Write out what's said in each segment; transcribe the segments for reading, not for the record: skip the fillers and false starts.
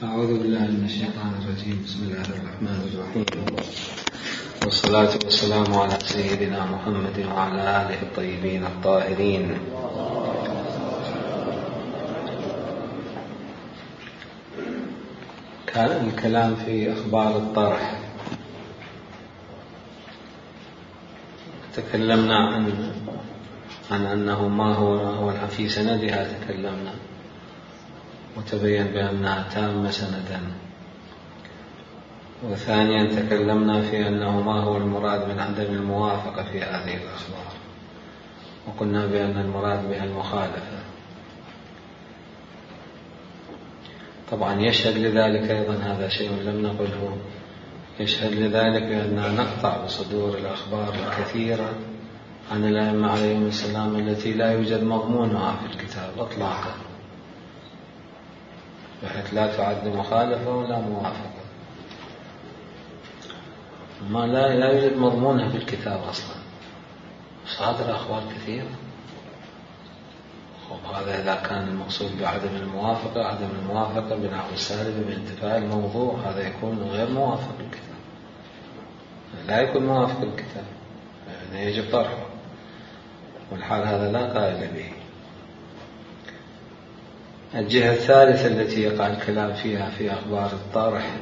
أعوذ بالله من الشيطان الرجيم. بسم الله الرحمن الرحيم، والصلاة والسلام على سيدنا محمد وعلى آله الطيبين الطاهرين. كان الكلام في أخبار الطرح. تكلمنا عن أنه ما هو في سندها، تكلمنا وتبين بأنها تامة سندا. وثانيا تكلمنا في أنه ما هو المراد من عدم الموافقة في هذه الأخبار، وقلنا بأن المراد بها المخالفة. طبعا يشهد لذلك أيضا، هذا شيء لم نقله، يشهد لذلك بأننا نقطع بصدور الأخبار الكثيرة عن الأئمة عليهم السلام التي لا يوجد مضمونها في الكتاب إطلاقا، بحيث لا تعد مخالفة ولا موافقة، ما لا يوجد مضمونها في الكتاب أصلا، صادر أخبار كثيرة. هذا إذا كان المقصود بعدم الموافقة، عدم الموافقة بنحو السالب بانتفاء الموضوع، هذا يكون غير موافق للكتاب، لا يكون موافق للكتاب، يعني يجب طرحه، والحال هذا لا قائل به. الجهة الثالثة التي يقع الكلام فيها في أخبار الطرح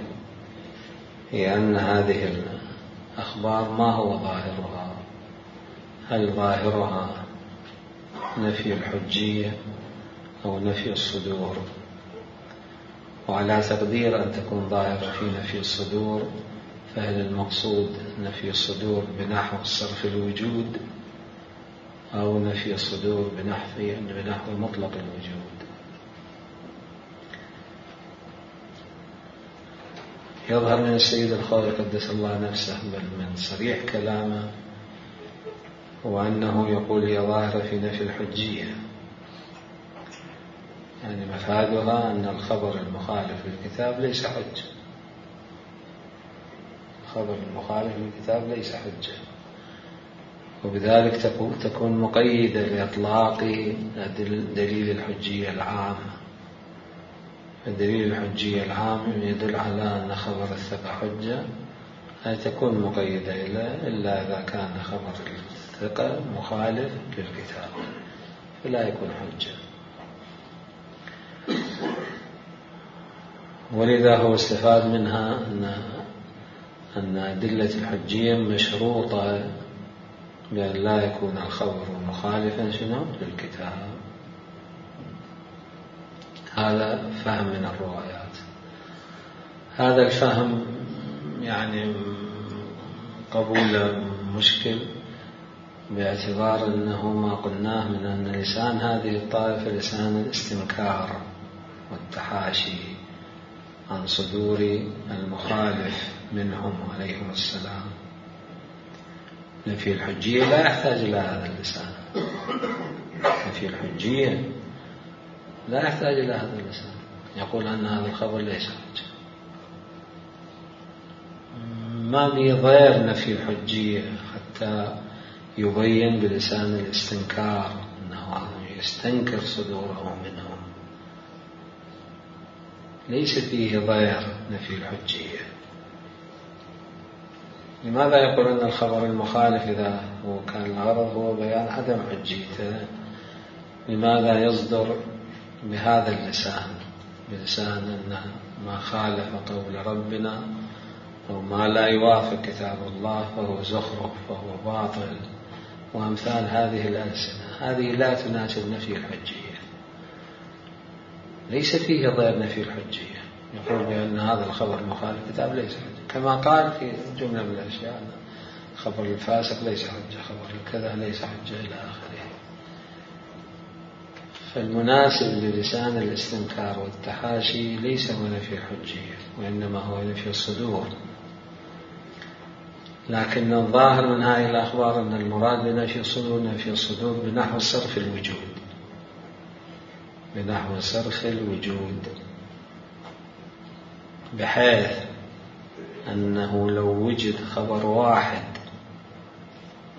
هي أن هذه الأخبار ما هو ظاهرها، هل ظاهرها نفي الحجية أو نفي الصدور؟ وعلى تقدير أن تكون ظاهرة في نفي الصدور، فهل المقصود نفي الصدور بنحو صرف الوجود أو نفي الصدور بنحو مطلق الوجود؟ يظهر من السيد الخوئي قدس الله نفسه بل من صريح كلامه وأنه يقول هي ظاهرة في نفي الحجية، يعني مفادها أن الخبر المخالف للكتاب ليس حجة، الخبر المخالف للكتاب ليس حجة، وبذلك تكون مقيدة لإطلاق دليل الحجية العام. الدليل الحجية العام يدل على أن خبر الثقة حجة، أي تكون مقيدة إلا إذا كان خبر الثقة مخالف للكتاب فلا يكون حجة. ولذا هو استفاد منها أن أدلة الحجية مشروطة بأن لا يكون الخبر مخالفا للكتاب. هذا فهم من الروايات. هذا الفهم يعني قبول مشكل، باعتبار أنه ما قلناه من أن لسان هذه الطائفة لسان الاستنكار والتحاشي عن صدور المخالف منهم عليهم السلام. نفي الحجية لا يحتاج إلى هذا اللسان، نفي الحجية لا يحتاج إلى هذا اللسان، يقول أن هذا الخبر ليس حجة. ما بيضير نفي الحجية حتى يبين بلسان الاستنكار أنه يستنكر صدوره منهم، ليس فيه ضير نفي الحجية. لماذا يقول أن الخبر المخالف إذا هو كان الغرض هو بيان عدم حجيته، لماذا يصدر بهذا اللسان، بلسان أن ما خالف قول ربنا أو ما لا يوافق كتاب الله فهو زخرف فهو باطل وأمثال هذه الألسنة؟ هذه لا تناسب نفي الحجية، ليس فيه ضير نفي الحجية. يقول بأن هذا الخبر مخالف كتاب ليس حجة، كما قال في جملة من الأشياء خبر الفاسق ليس حجة، خبر الكذا ليس حجة إلى آخره. فالمناسب للسان الاستنكار والتحاشي ليس هو نفي الحجية، وإنما هو نفي الصدور. لكن الظاهر من هذه الأخبار أن المراد بنفي الصدور نفي الصدور بنحو صرف الوجود، بنحو صرف الوجود، بحيث أنه لو وجد خبر واحد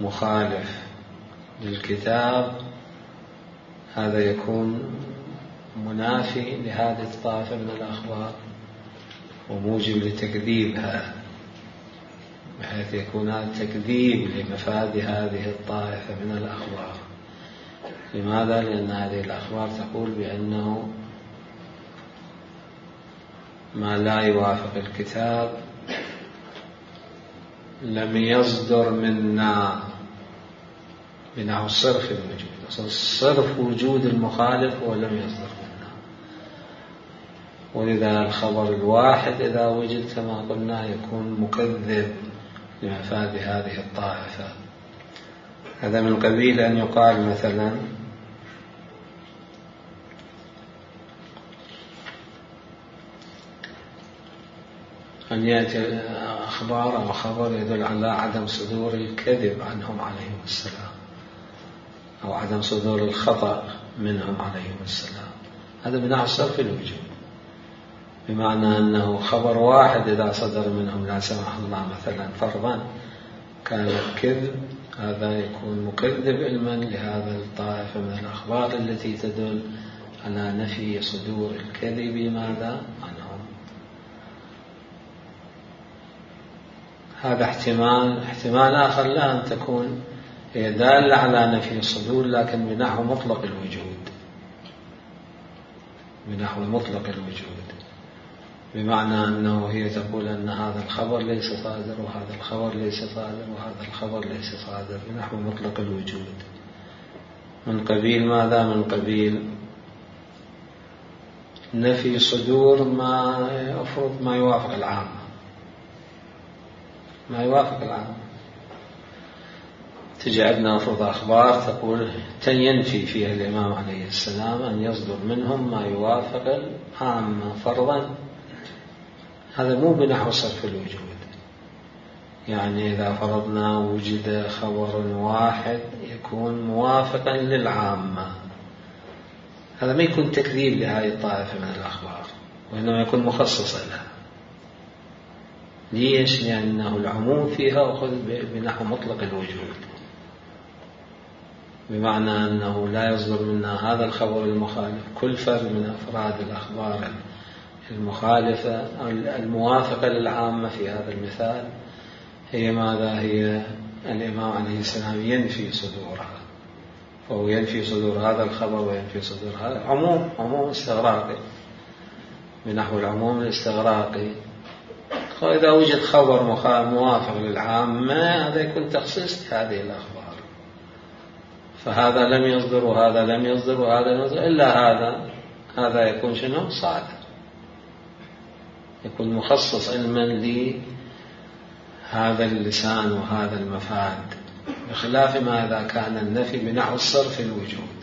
مخالف للكتاب هذا يكون منافي لهذه الطائفة من الأخبار وموجب لتكذيبها، بحيث يكون هذا تكذيب لمفاد هذه الطائفة من الأخبار. لماذا؟ لأن هذه الأخبار تقول بأنه ما لا يوافق الكتاب لم يصدر منا، بنحو صرف الوجود. صرف وجود المخالف هو لم يصدر منا، ولذا الخبر الواحد إذا وجد كما قلنا يكون مكذب لمفاد هذه الطائفة. هذا من قبيل أن يقال مثلا أن يأتي أخبار أو خبر يدل على عدم صدور الكذب عنهم عليهم السلام، أو عدم صدور الخطأ منهم عليهم السلام. هذا بنحو صرف الوجود، بمعنى أنه خبر واحد إذا صدر منهم لا سمح الله مثلا فرضا كان الكذب، هذا يكون مكذب علما لهذا الطائفة من الأخبار التي تدل على نفي صدور الكذب ماذا عنهم. هذا احتمال آخر لا أن تكون هي دالة على نفي الصدور لكن بنحو مطلق الوجود، بنحو مطلق الوجود، بمعنى أنه هي تقول أن هذا الخبر ليس صادر وهذا الخبر ليس صادر وهذا الخبر ليس صادر، بنحو مطلق الوجود. من قبيل ماذا؟ من قبيل نفي صدور ما أفرض ما يوافق العامة، ما يوافق العامة. تجي عندنا أفرض أخبار تقول ينفي فيها الإمام عليه السلام أن يصدر منهم ما يوافق العامة فرضا، هذا مو بنحو صرف الوجود. يعني إذا فرضنا وجد خبر واحد يكون موافقا للعامة، هذا ما يكون تكذيب لهذه الطائفة من الأخبار، وإنما يكون مخصصا لها. ليش؟ لأنه العموم فيها أخذ بنحو مطلق الوجود، بمعنى أنه لا يصدر منا هذا الخبر المخالف. كل فرد من أفراد الأخبار المخالفة الموافقة للعامة في هذا المثال هي ماذا؟ هي الإمام عليه السلام ينفي صدورها، فهو ينفي صدور هذا الخبر وينفي صدور هذا. عموم استغراقي، بنحو العموم الاستغراقي. إذا وجد خبر موافق للعامة هذا يكون تخصيص لهذه الأخبار، فهذا لم يصدر وهذا لم يصدر وهذا لم يصدر إلا هذا يكون شنو؟ صادر، يكون مخصص علما لهذا اللسان وهذا المفاد، بخلاف ما إذا كان النفي بنحو الصرف الوجود.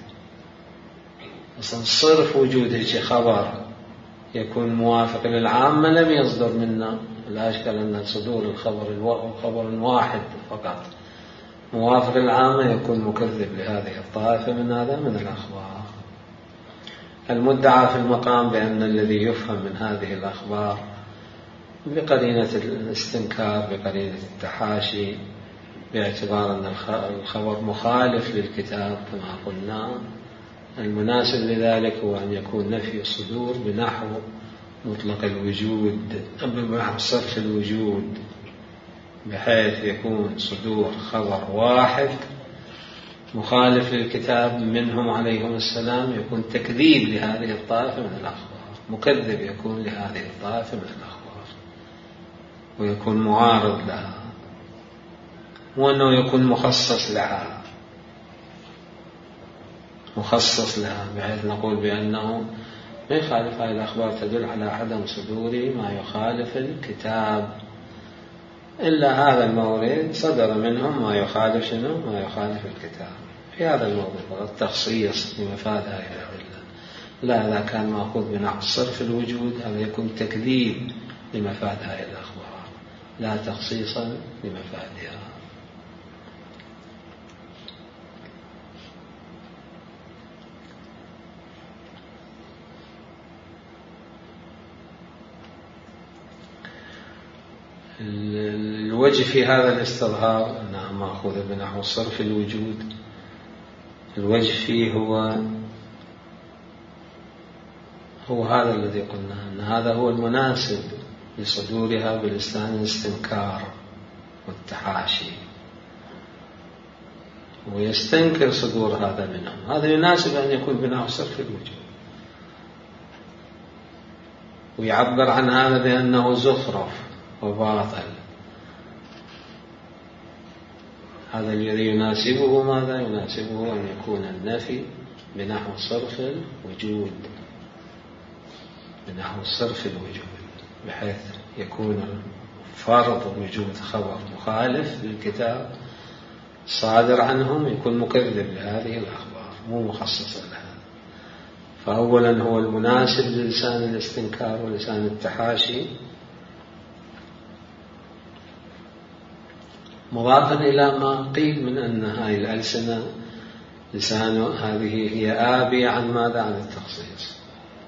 أصلا صرف وجود هيك خبر يكون موافق للعامة لم يصدر منا، لا أشكال أن صدور الخبر واحد فقط موافق للعامة يكون مكذب لهذه الطائفة من الأخبار. المدعى في المقام بأن الذي يفهم من هذه الأخبار بقرينة الاستنكار، بقرينة التحاشي، باعتبار أن الخبر مخالف للكتاب كما قلنا، المناسب لذلك هو أن يكون نفي الصدور بنحو مطلق الوجود، بنحو صرف الوجود، بحيث يكون صدور خبر واحد مخالف للكتاب منهم عليهم السلام يكون تكذيب لهذه الطائفة من الأخبار، مكذب يكون لهذه الطائفة من الأخبار ويكون معارض لها، وأنه يكون مخصص لها بحيث نقول بأنه ما يخالف. هذه الأخبار تدل على عدم صدور ما يخالف الكتاب، إلا هذا المورد صدر منهم ما يخالف شنو؟ ما يخالف الكتاب. في هذا الموضوع فقط تخصيص لمفاد هذه الأدلة. لا، إذا كان مأخوذ بنحو صرف الوجود هذا يكون تكذيب لمفاد هذه الأخبار، لا تخصيصا لمفادها. الوجه في هذا الاستظهار أنها مأخوذة بنحو صرف الوجود، الوجه فيه هو هذا الذي قلنا أن هذا هو المناسب لصدورها بلسان الاستنكار والتحاشي، ويستنكر صدور هذا منهم. هذا يناسب أن يكون بنحو صرف الوجود، ويعبر عن هذا بأنه زخرف وباطل. هذا الذي يناسبه ماذا؟ يناسبه أن يكون النفي بنحو صرف الوجود، بنحو صرف الوجود، بحيث يكون فرض وجود خبر مخالف للكتاب صادر عنهم يكون مكذب لهذه الأخبار، مو مخصص لها. فأولا هو المناسب للسان الاستنكار ولسان التحاشي، مضافا إلى ما قيل من أن هذه الألسنة لسان هذه هي آبية عن ماذا؟ عن التخصيص،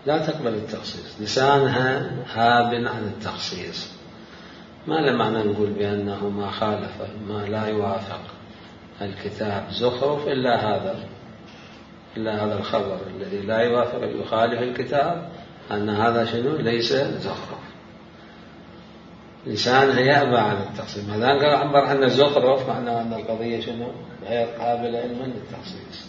لا تقبل التخصيص، لسانها هاب عن التخصيص. ما له معنى نقول بأنه ما خالف، ما لا يوافق الكتاب زخرف إلا هذا الخبر الذي لا يوافق يخالف الكتاب، أن هذا شنو؟ ليس زخرف. لسانها يأبى عن التخصيص، ما دام عبر عنه زخرف معناه أن القضية شنو؟ غير قابلة علما للتخصيص.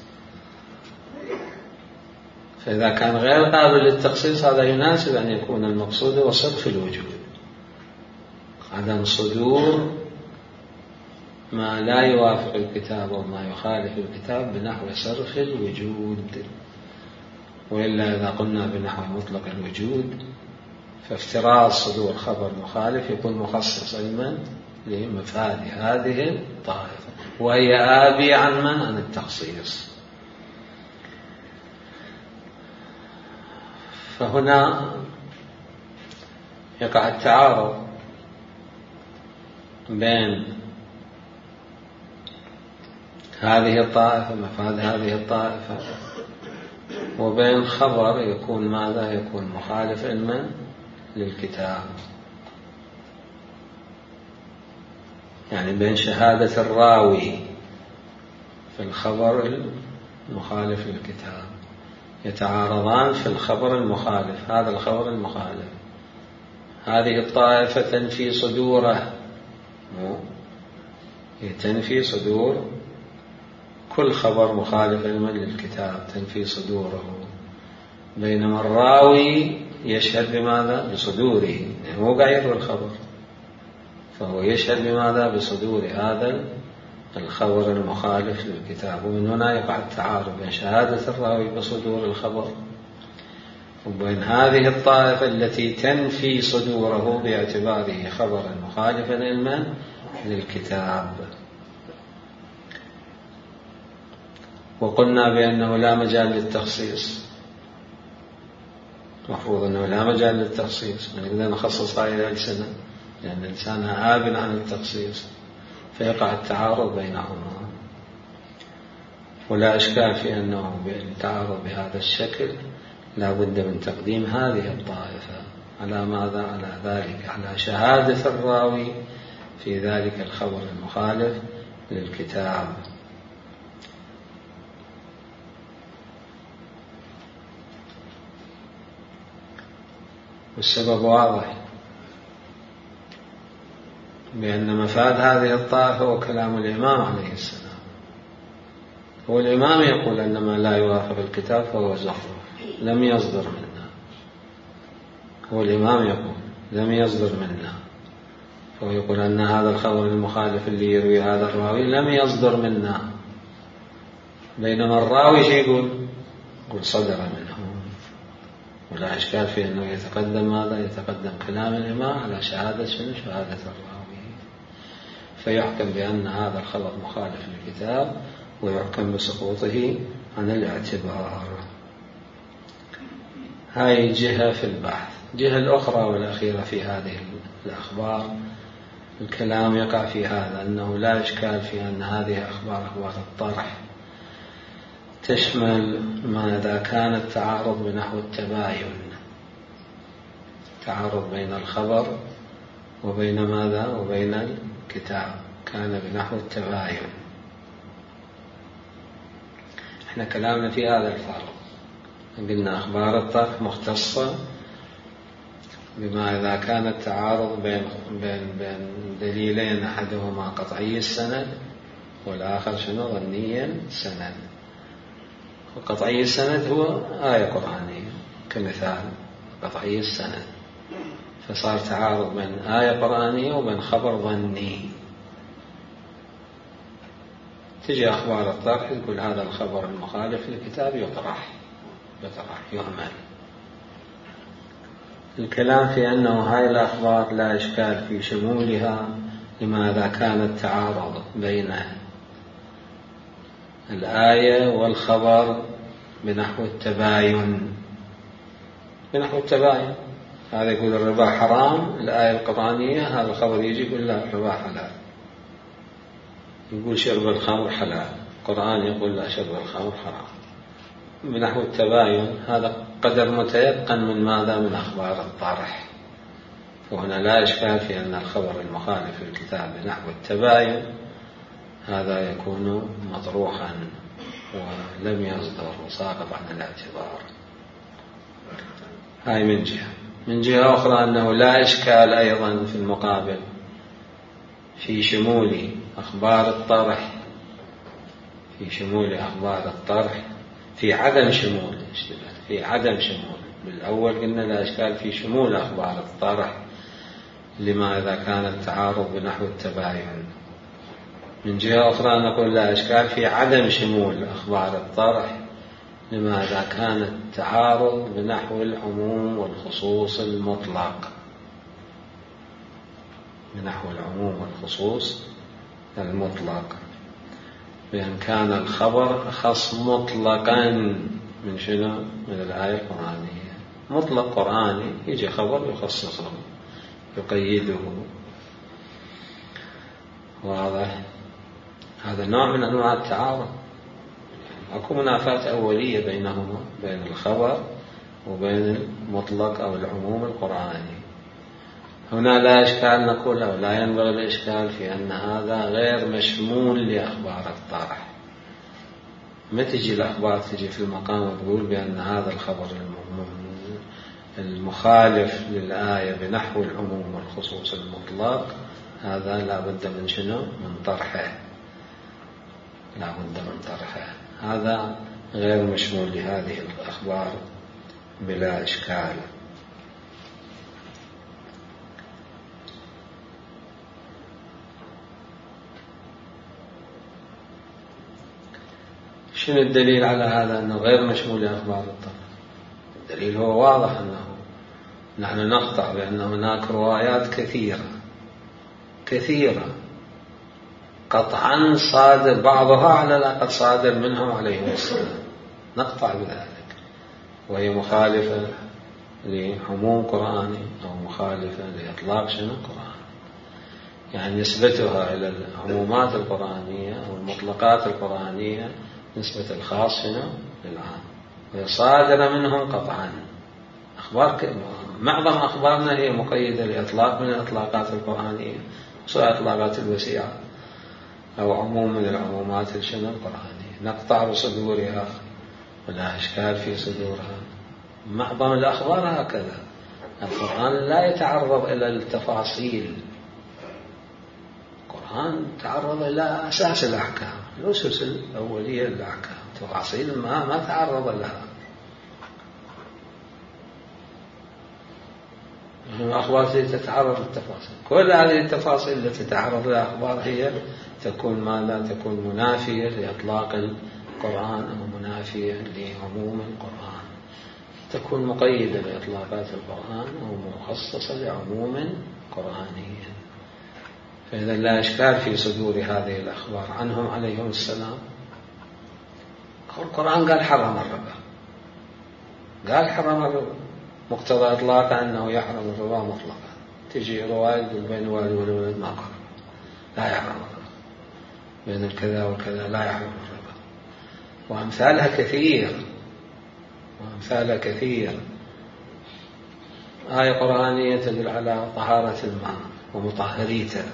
فإذا كان غير قابل للتخصيص هذا يناسب أن يكون المقصود هو صرف الوجود، عدم صدور ما لا يوافق الكتاب وما يخالف الكتاب بنحو صرف الوجود. وإلا إذا قلنا بنحو مطلق الوجود فافتراض صدور خبر مخالف يكون مخصص علما لمفاد هذه الطائفة، وهي آبية عن من؟ عن التخصيص. فهنا يقع التعارض بين هذه الطائفة، مفاد هذه الطائفة، وبين خبر يكون ماذا؟ يكون مخالف علما للكتاب، يعني بين شهادة الراوي في الخبر المخالف للكتاب، يتعارضان في الخبر المخالف. هذا الخبر المخالف هذه الطائفة تنفي صدوره، تنفي صدور كل خبر مخالف علما للكتاب، تنفي صدوره، بينما الراوي يشهد بماذا؟ بصدوره، يعني مو قاعد يروي الخبر، فهو يشهد بماذا؟ بصدور هذا الخبر المخالف للكتاب. ومن هنا يقع التعارض بين شهادة الراوي بصدور الخبر وبين هذه الطائفة التي تنفي صدوره باعتباره خبرا مخالفا علما للكتاب. وقلنا بأنه لا مجال للتخصيص، مفروض أنه لا مجال للتخصيص، نقدر نخصص هذه الألسنة لأن لسانها آب عن التخصيص، فيقع التعارض بينهما. ولا إشكال في أنه بالتعارض بهذا الشكل لا بد من تقديم هذه الطائفة على ماذا؟ على ذلك، على شهادة الراوي في ذلك الخبر المخالف للكتاب. والسبب واضح، بأن مفاد هذه الطائفة هو كلام الإمام عليه السلام. هو الإمام يقول أن ما لا يوافق الكتاب فهو زخرف، لم يصدر منا. هو الإمام يقول لم يصدر منا، فهو يقول أن هذا الخبر المخالف اللي يروي هذا الراوي لم يصدر منا، بينما الراوي شيء يقول صدر منه. ولا إشكال في أنه يتقدم ماذا؟ يتقدم كلام الإمام على شهادة شنو؟ شهادة الراوي، فيحكم بأن هذا الخبر مخالف للكتاب ويحكم بسقوطه عن الاعتبار. هاي جهة في البحث. الجهة الأخرى والأخيرة في هذه الأخبار الكلام يقع في هذا، أنه لا إشكال في أن هذه أخبار الطرح تشمل ما إذا كان التعارض بنحو التباين، تعارض بين الخبر وبين ماذا؟ وبين الكتاب، كان بنحو التباين. احنا كلامنا في هذا الفرق، قلنا أخبار الطرح مختصة بما إذا كان التعارض بين دليلين أحدهما قطعي السند والآخر شنو ظني السند. وقطعي السند هو آية قرآنية كمثال قطعي السند، فصار تعارض بين آية قرآنية وبين خبر ظني. تجي أخبار الطرح يقول هذا الخبر المخالف للكتاب يطرح يهمل. الكلام في أنه هاي الأخبار لا إشكال في شمولها لماذا كان التعارض بين الآية والخبر بنحو التباين. هذا يقول الربا حرام، الآية القرآنية هذا الخبر يجي يقول لا الربا حلال. يقول شرب الخمر حلال، القرآن يقول لا شرب الخمر حرام. بنحو التباين هذا قدر متيقن من ماذا؟ من أخبار الطرح. وهنا لا إشكال في أن الخبر المخالف للكتاب بنحو التباين هذا يكون مطروحا ولم يصدر وساقط عن الاعتبار. هاي من جهة. من جهة أخرى أنه لا إشكال أيضا في المقابل في شمول أخبار الطرح في عدم شمول. بالأول قلنا لا إشكال في شمول أخبار الطرح لما إذا كان التعارض بنحو التباين. من جهة أخرى نقول لا إشكال في عدم شمول أخبار الطرح لما إذا كان التعارض بنحو العموم والخصوص المطلق. بأن كان الخبر أخص مطلقا من شنو؟ من الآية القرآنية. مطلق قرآني يجي خبر يخصصه يقيده. واضح؟ هذا نوع من أنواع التعارض. أكو منافاة أولية بينهما، بين الخبر وبين المطلق أو العموم القرآني. هنا لا إشكال نقول أو لا ينبغي الإشكال في أن هذا غير مشمول لأخبار الطرح. ما تجي الأخبار تجي في المقام وتقول بأن هذا الخبر المخالف للآية بنحو العموم والخصوص المطلق هذا لا بد من شنو؟ من طرحه. هذا غير مشمول لهذه الأخبار بلا إشكال. شنو الدليل على هذا أنه غير مشمول لأخبار الطرح؟ الدليل هو واضح أنه نحن نقطع بأن هناك روايات كثيرة قطعا صادر بعضها على الأقل صادر منهم عليهم السلام، نقطع بذلك، وهي مخالفة لعموم قرآني أو مخالفة لإطلاق شنو قرآن. يعني نسبتها إلى العمومات القرآنية أو المطلقات القرآنية نسبة الخاص شنو للعام، وهي صادرة منهم قطعا. معظم أخبارنا هي مقيدة لإطلاق من الإطلاقات القرآنية، سواء إطلاقات الوسيعة أو عموم من العمومات الشنو القرآنية. نقطع بصدورها ولا إشكال في صدورها. معظم الأخبار هكذا. القرآن لا يتعرض إلى التفاصيل، القرآن تعرض إلى أساس الأحكام، الأسس الأولية للأحكام، تفاصيل ما تعرض لها. الأخبار تتعرض للتفاصيل، كل هذه التفاصيل التي تتعرض لها الأخبار هي تكون ماذا؟ تكون منافية لإطلاق القرآن أو منافية لعموم القرآن، تكون مقيدة لإطلاقات القرآن أو مخصصة لعموم قرآني. فإذا لا إشكال في صدور هذه الأخبار عنهم عليهم السلام. القرآن قال حرم الربا، مقتضى إطلاقه أنه يحرم الربا مطلقا. تجي رواية بين الوالد والولد ما قال لا يحرم الربا، بين الكذا والكذا لا يحرم الربا. وأمثالها كثير. آية قرآنية تدل على طهارة الماء ومطهريته،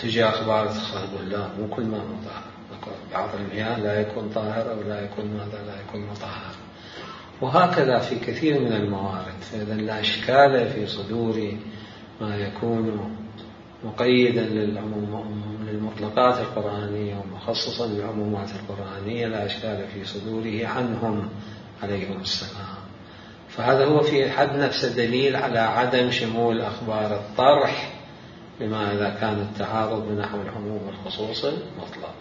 تجي أخبار تقول لا مو كل ماء مطهر، بعض المياه لا يكون طاهر أو لا يكون مطهر. وهكذا في كثير من الموارد. فإذا لا إشكال في صدور ما يكون مقيدا للمطلقات القرآنية ومخصصا للعمومات القرآنية لا إشكال في صدوره عنهم عليهم السلام. فهذا هو في حد نفسه دليل على عدم شمول أخبار الطرح بما إذا كان التعارض بنحو العموم والخصوص المطلق.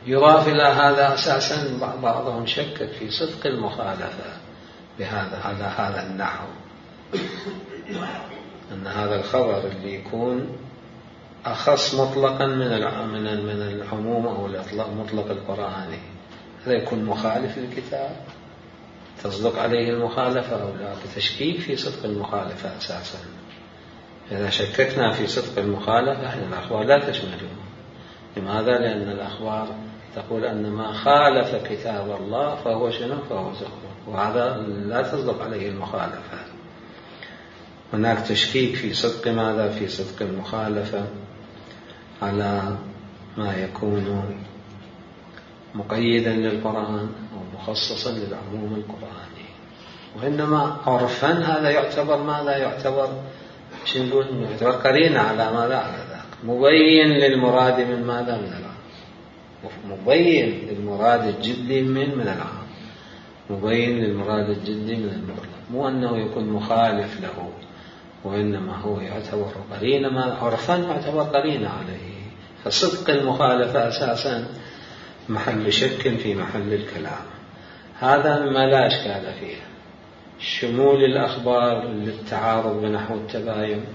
يضاف إلى هذا أساسا بعضهم شكك في صدق المخالفة بهذا على هذا النحو، أن هذا الخبر اللي يكون أخص مطلقا من العموم أو المطلق القرآني هذا يكون مخالف للكتاب، تصدق عليه المخالفة أو لا، بتشكيك في صدق المخالفة أساسا. إذا شككنا في صدق المخالفة إن الأخبار لا تشمله. لماذا؟ لأن الأخبار تقول أن ما خالف كتاب الله فهو شنو؟ فهو زخرف، وهذا لا تصدق عليه المخالفة. هناك تشكيك في صدق ماذا؟ في صدق المخالفة على ما يكون مقيدا للقرآن أو مخصصا للعموم القرآني. وإنما عرفا هذا يعتبر ماذا؟ يعتبر يعتبر قرينة على ماذا؟ على ذاك، مبين للمراد من ماذا؟ من العام، مبين للمراد الجدي من العام، مبين للمراد الجدي من المطلق، مو أنه يكون مخالف له، وإنما هو يعتبر قرينة، ما عرفا يعتبر قرينة عليه. فصدق المخالفة أساسا محل شك في محل الكلام. هذا مما لا إشكال فيه، شمول الأخبار للتعارض بنحو التباين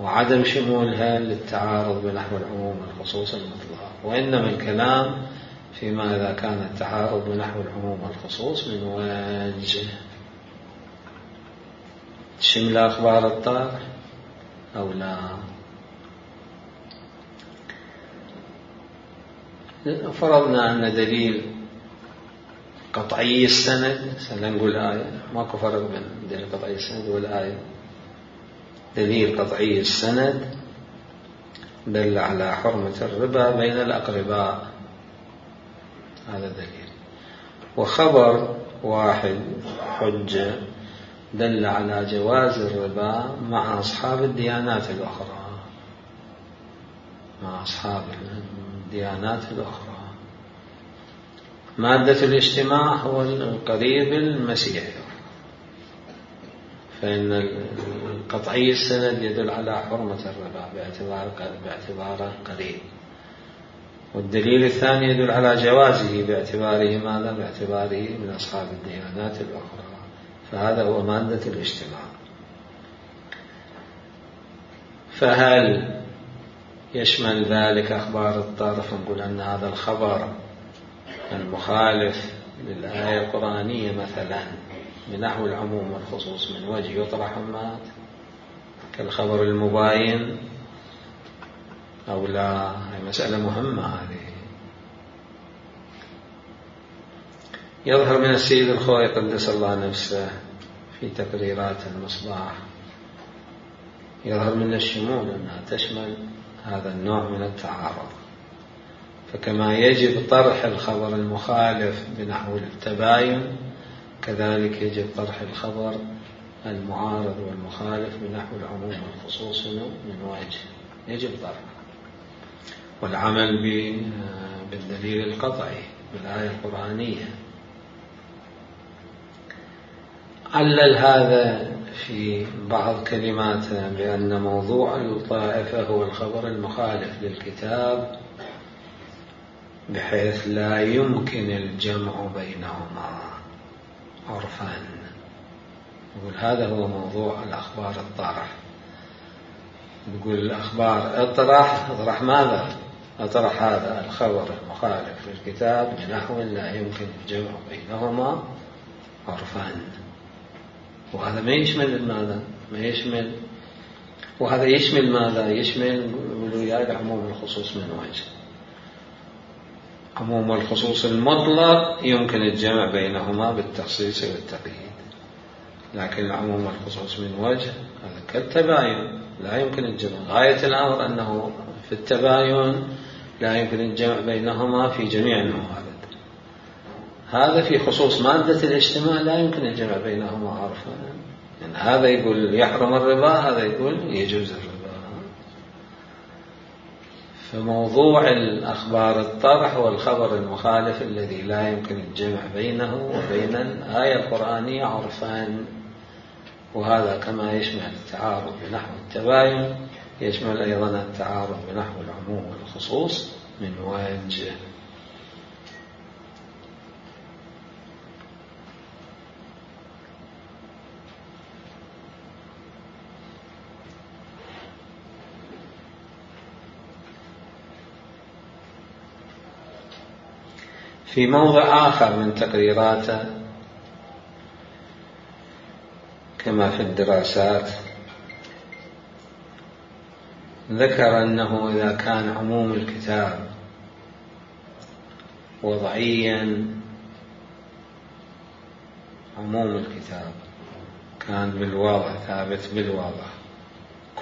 وعدم شمولها للتعارض بنحو العموم والخصوص المطلق. وإنما الكلام فيما إذا كان التعارض بنحو العموم والخصوص من وجه شمل أخبار الطارئ أو لا. فرضنا أن دليل قطعي السند، سنقول آية، ماكو فرق بين دليل قطعي السند والآية. دليل قطعي السند دل على حرمة الربا بين الأقرباء، هذا دليل. وخبر واحد حجة دل على جواز الربا مع أصحاب الديانات الأخرى، مع أصحاب الديانات الأخرى. مادة الاجتماع هو القريب المسيحي، فإن القطعي السند يدل على حرمة الربا باعتباره قريب، والدليل الثاني يدل على جوازه باعتباره ماذا؟ باعتباره من أصحاب الديانات الأخرى. فهذا هو مادة الاجتماع. فهل يشمل ذلك أخبار الطرف؟ نقول أن هذا الخبر المخالف للآية القرآنية مثلا بنحو العموم والخصوص من وجه يطرح مات كالخبر المباين أو لا؟ هي مسألة مهمة هذه. يظهر من السيد الخوئي قدس الله نفسه في تقريرات المصباح، يظهر من الشمول أنها تشمل هذا النوع من التعارض. فكما يجب طرح الخبر المخالف بنحو التباين، كذلك يجب طرح الخبر المعارض والمخالف بنحو العموم والخصوص من وجه، يجب طرحه. والعمل بالدليل القطعي بالآية القرآنية. علل هذا في بعض كلماته بأن موضوع الطائفة هو الخبر المخالف للكتاب بحيث لا يمكن الجمع بينهما عرفا. يقول هذا هو موضوع الأخبار الطارح. يقول الأخبار اطرح ماذا؟ اطرح هذا الخبر المخالف للكتاب بنحو لا يمكن الجمع بينهما عرفا. وهذا ما يشمل ماذا؟ ما يشمل، وهذا يشمل ماذا؟ يشمل العموم والخصوص من وجه. عموم والخصوص المطلق يمكن الجمع بينهما بالتخصيص والتقييد، لكن العموم والخصوص من وجه هذا كالتباين لا يمكن الجمع. غاية الأمر أنه في التباين لا يمكن الجمع بينهما في جميع الموارد. هذا في خصوص مادة الاجتماع لا يمكن الجمع بينهما عرفا، يعني هذا يقول يحرم الربا، هذا يقول يجوز الربا. فموضوع الأخبار الطرح هو الخبر المخالف الذي لا يمكن الجمع بينه وبين الآية القرآنية عرفا، وهذا كما يشمل التعارض بنحو التباين يشمل أيضا التعارض بنحو العموم والخصوص من وجه. في موضع آخر من تقريراته كما في الدراسات ذكر أنه إذا كان عموم الكتاب وضعيا، عموم الكتاب كان بالوضع ثابت بالوضع،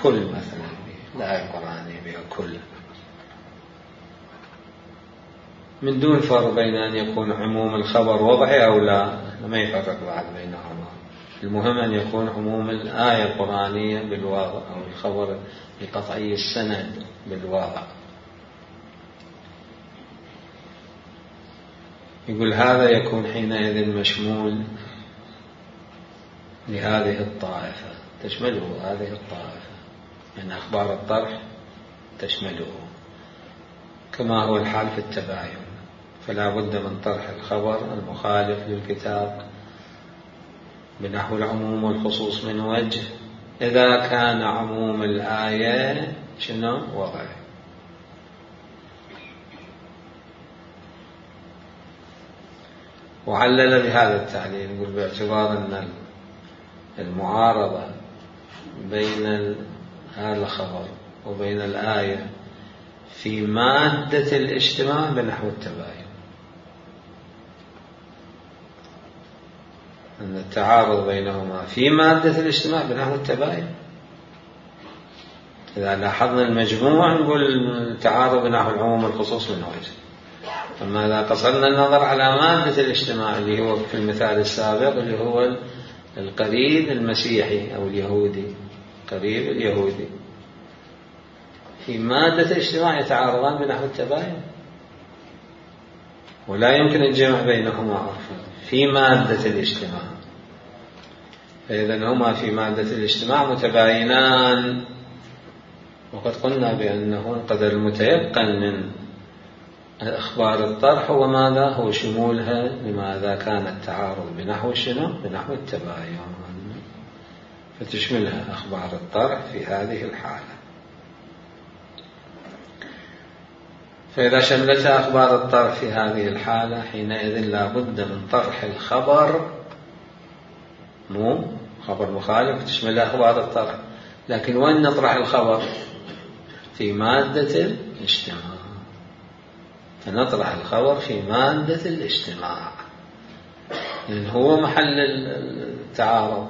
كل مثلا الآية القرآنية بها كل، من دون فرق بين أن يكون عموم الخبر وضعي أو لا، ما يفرق بعد بينهما، المهم أن يكون عموم الآية القرآنية بالواضع أو الخبر القطعي السند بالواضع. يقول هذا يكون حينئذ مشمول لهذه الطائفة، تشمله هذه الطائفة، من أخبار الطرح تشمله، كما هو الحال في التباين، فلا بد من طرح الخبر المخالف للكتاب بنحو العموم والخصوص من وجه، إذا كان عموم الآية شنو وضع. وعلل بهذا التعليل، يقول باعتبار أن المعارضة بين هذا الخبر وبين الآية في مادة الاجتماع بنحو التباين، أن التعارض بينهما في مادة الاجتماع بنحو التباين. إذا لاحظنا المجموع نقول التعارض بنحو العموم والخصوص من وجه، أما إذا قصرنا النظر على مادة الاجتماع اللي هو في المثال السابق اللي هو القريب المسيحي أو اليهودي، قريب اليهودي، في مادة الاجتماع يتعارضان بنحو التباين، ولا يمكن الجمع بينهما عرفا في مادة الاجتماع، فإذا هما في مادة الاجتماع متباينان. وقد قلنا بأنه القدر المتيقن من أخبار الطرح هو ماذا؟ هو شمولها لماذا كان التعارض بنحو شنو؟ بنحو التباين، فتشملها أخبار الطرح في هذه الحالة. فإذا شملتها أخبار الطرح في هذه الحالة حينئذ لا بد من طرح الخبر، مو خبر مخالف تشملها أخبار الطرح، لكن وين نطرح الخبر؟ في مادة الاجتماع، فنطرح الخبر في مادة الاجتماع، لأن هو محل التعارض،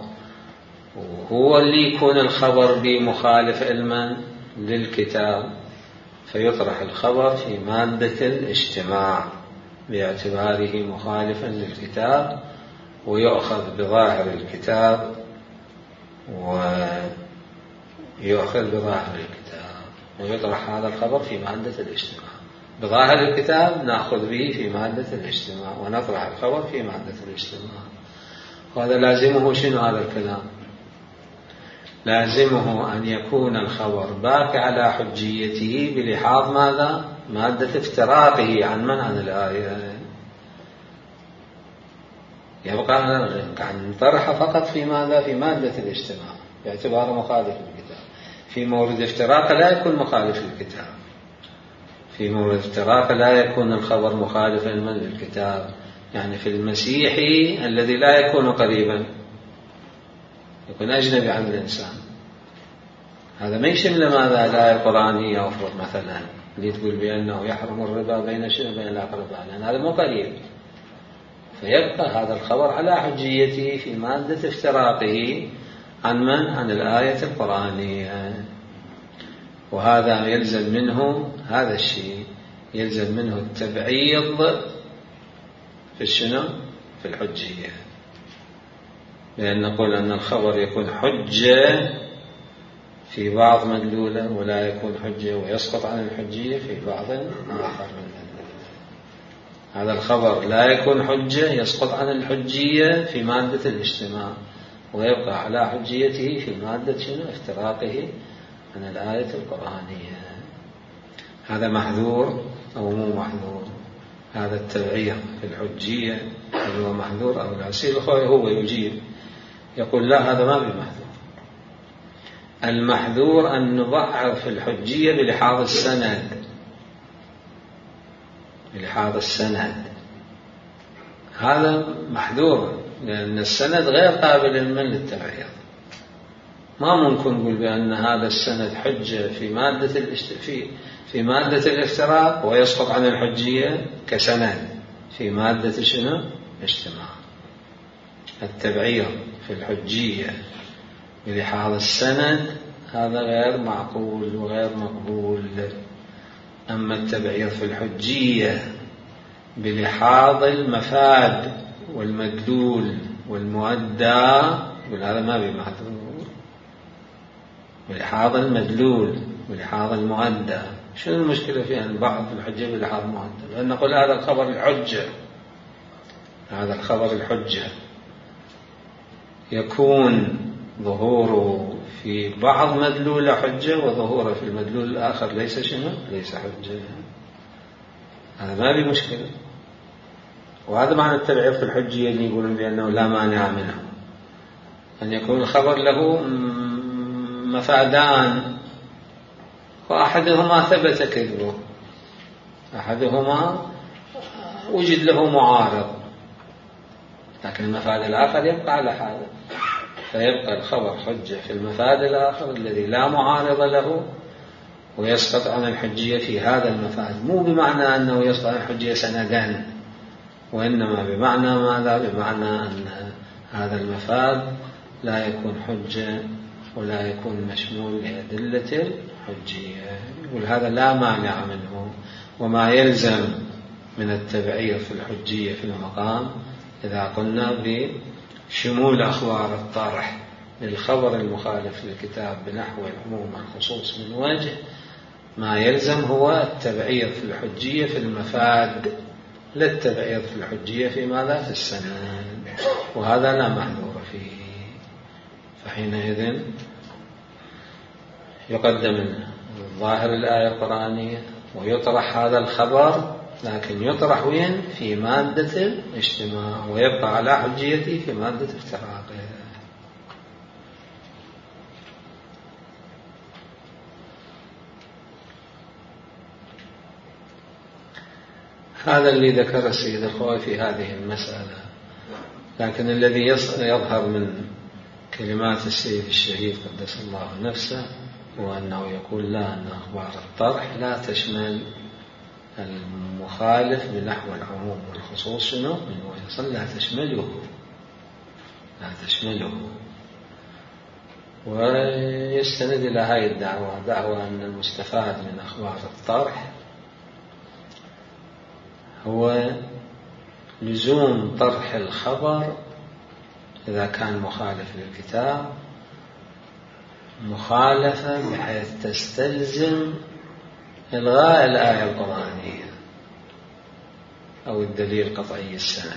وهو اللي يكون الخبر بمخالف علما للكتاب، فيطرح الخبر في مادة الاجتماع باعتباره مخالفا للكتاب، ويؤخذ بظاهر الكتاب ويطرح هذا الخبر في مادة الاجتماع. بظاهر الكتاب نأخذ به في مادة الاجتماع ونطرح الخبر في مادة الاجتماع. وهذا لازمه شنو هذا الكلام؟ لازمه أن يكون الخبر باقي على حجيته بلحاظ ماذا؟ مادة افتراقه عن الآية، يبقى عن طرح فقط في ماذا؟ في مادة الاجتماع باعتباره مخالف للكتاب. في مورد افتراق لا يكون مخالف للكتاب، في مورد افتراق لا يكون الخبر مخالفا للكتاب، يعني في المسيحي الذي لا يكون قريبا يكون أجنبي عن الإنسان، هذا ما يشمل ماذا؟ الآية القرآنية أفرض مثلا اللي تقول بأنه يحرم الربا بين الأقرباء، لأن هذا مو قريب، فيبقى هذا الخبر على حجيته في مادة افتراقه عن الآية القرآنية. وهذا يلزم منه هذا الشيء، يلزم منه التبعيض في الشنو؟ في الحجية. لأن نقول أن الخبر يكون حجة في بعض مدلوله ولا يكون حجة ويسقط عن الحجية في بعض آخر من مدلوله. هذا الخبر لا يكون حجة، يسقط عن الحجية في مادة الاجتماع ويبقى على حجيته في مادة شنو؟ افتراقه عن الآية القرآنية. هذا محذور أو مو محذور؟ هذا التبعير في الحجية هل هو محذور أو لا؟ يصير الأخوة هو يجيب يقول لا هذا ما بمحذور. المحذور أن نضعف في الحجية بلحاظ السند، بلحاظ السند هذا محذور، لأن السند غير قابل من للتبعير. ما ممكن نقول بأن هذا السند حجة في مادة الافتراق ويسقط عن الحجية كسند في مادة شنو؟ اجتماع. التبعير في الحجية بلحاظ السند هذا غير معقول وغير مقبول. أما التبعير في الحجية بلحاظ المفاد والمدلول والمؤدى هذا ما بمحذور. بلحاظ المدلول ولحاظ المؤدى شنو المشكلة في أن بعض الحجة بلحاظ المؤدى؟ لأن نقول هذا الخبر الحجة، هذا الخبر الحجة يكون ظهوره في بعض مدلول حجة وظهوره في المدلول الآخر ليس شنو؟ ليس حجة. هذا ما في مشكلة. وهذا معنى التبعير في الحجية اللي يقولون بأنه لا مانع منه، أن يكون الخبر له مفادان وأحدهما ثبت كذبه، أحدهما وجد له معارض، لكن المفاد الآخر يبقى على حاله، فيبقى الخبر حجة في المفاد الآخر الذي لا معارض له ويسقط عن الحجية في هذا المفاد. مو بمعنى أنه يسقط عن الحجية سندان، وإنما بمعنى ماذا؟ بمعنى أن هذا المفاد لا يكون حجة ولا يكون مشمول لأدلة الحجية. يقول هذا لا مانع منه. وما يلزم من التبعير في الحجية في المقام إذا قلنا بشمول أخبار الطرح للخبر المخالف للكتاب بنحو العموم الخصوص من وجه، ما يلزم هو التبعير في الحجية في المفاد، لا التبعير في الحجية في ماذا؟ في السند، وهذا لا محذور فيه. فحينئذ يقدم ظاهر الآية القرآنية ويطرح هذا الخبر، لكن يطرح وين؟ في مادة الاجتماع، ويبقى على حجيته في مادة افتراقه. هذا اللي ذكر السيد الخوئي في هذه المسألة. لكن الذي يظهر من كلمات السيد الشهيد قدس الله نفسه هو أنه يقول لا، أن أخبار الطرح لا تشمل المخالف بنحو العموم والخصوص شنو؟ من ويصل لا تشمله. ويستند إلى هذه الدعوة، دعوة أن المستفاد من أخبار الطرح هو لزوم طرح الخبر إذا كان مخالف للكتاب مخالفة بحيث تستلزم إلغاء الآية القرآنية أو الدليل قطعي السند،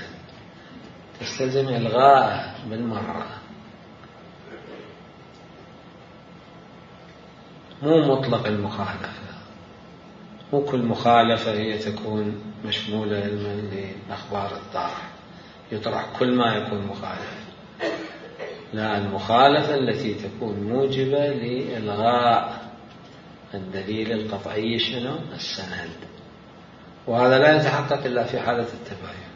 تستلزم إلغاء بالمرة، مو مطلق المخالفة. مو كل مخالفة هي تكون مشمولة لأخبار الطرح، يطرح كل ما يكون مخالف. لا، المخالفة التي تكون موجبة لإلغاء الدليل القطعي شنو؟ السند. وهذا لا يتحقق إلا في حالة التباين.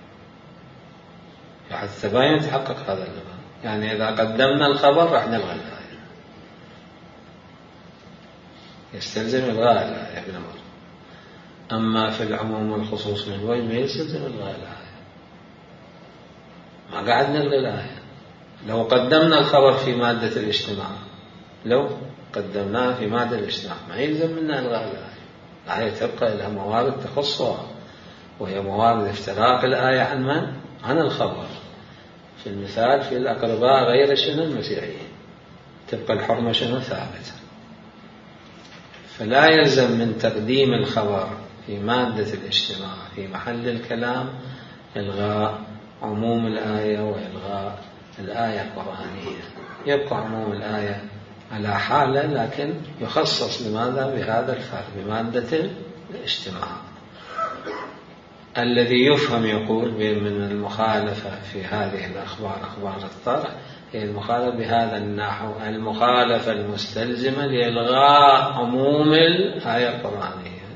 في حالة التباين يتحقق هذا اللغة، يعني إذا قدمنا الخبر راح نلغى الآية، يستلزم إلغاء الآية بالأمر. أما في العموم والخصوص من وجه ما يستلزم إلغاء الآية، ما قاعد نلغي الآية. لو قدمنا الخبر في مادة الاجتماع، لو قدمناه في مادة الاجتماع ما يلزم منا إلغاء الآية. الآية تبقى لها موارد تخصها، وهي موارد افتراق الآية عن من؟ عن الخبر. في المثال في الأقرباء غير شنو المسيحيين تبقى الحرمة شنو ثابتة. فلا يلزم من تقديم الخبر في مادة الاجتماع في محل الكلام إلغاء عموم الآية وإلغاء الآية القرآنية. يبقى عموم الآية على حالة، لكن يخصص لماذا بهذا الفرق بمادة الاجتماع. الذي يفهم يقول من المخالفة في هذه الأخبار أخبار الطرح هي المخالفة بهذا النحو، المخالفة المستلزمة لإلغاء عموم الآية القرآنية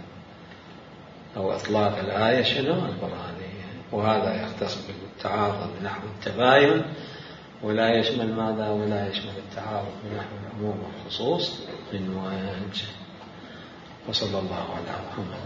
أو إطلاق الآية شنو القرآنية، وهذا يختص بالتعارض بنحو التباين ولا يشمل ماذا ولا يشمل التعارض بنحو العموم والخصوص من وجه. وصلى الله على محمد.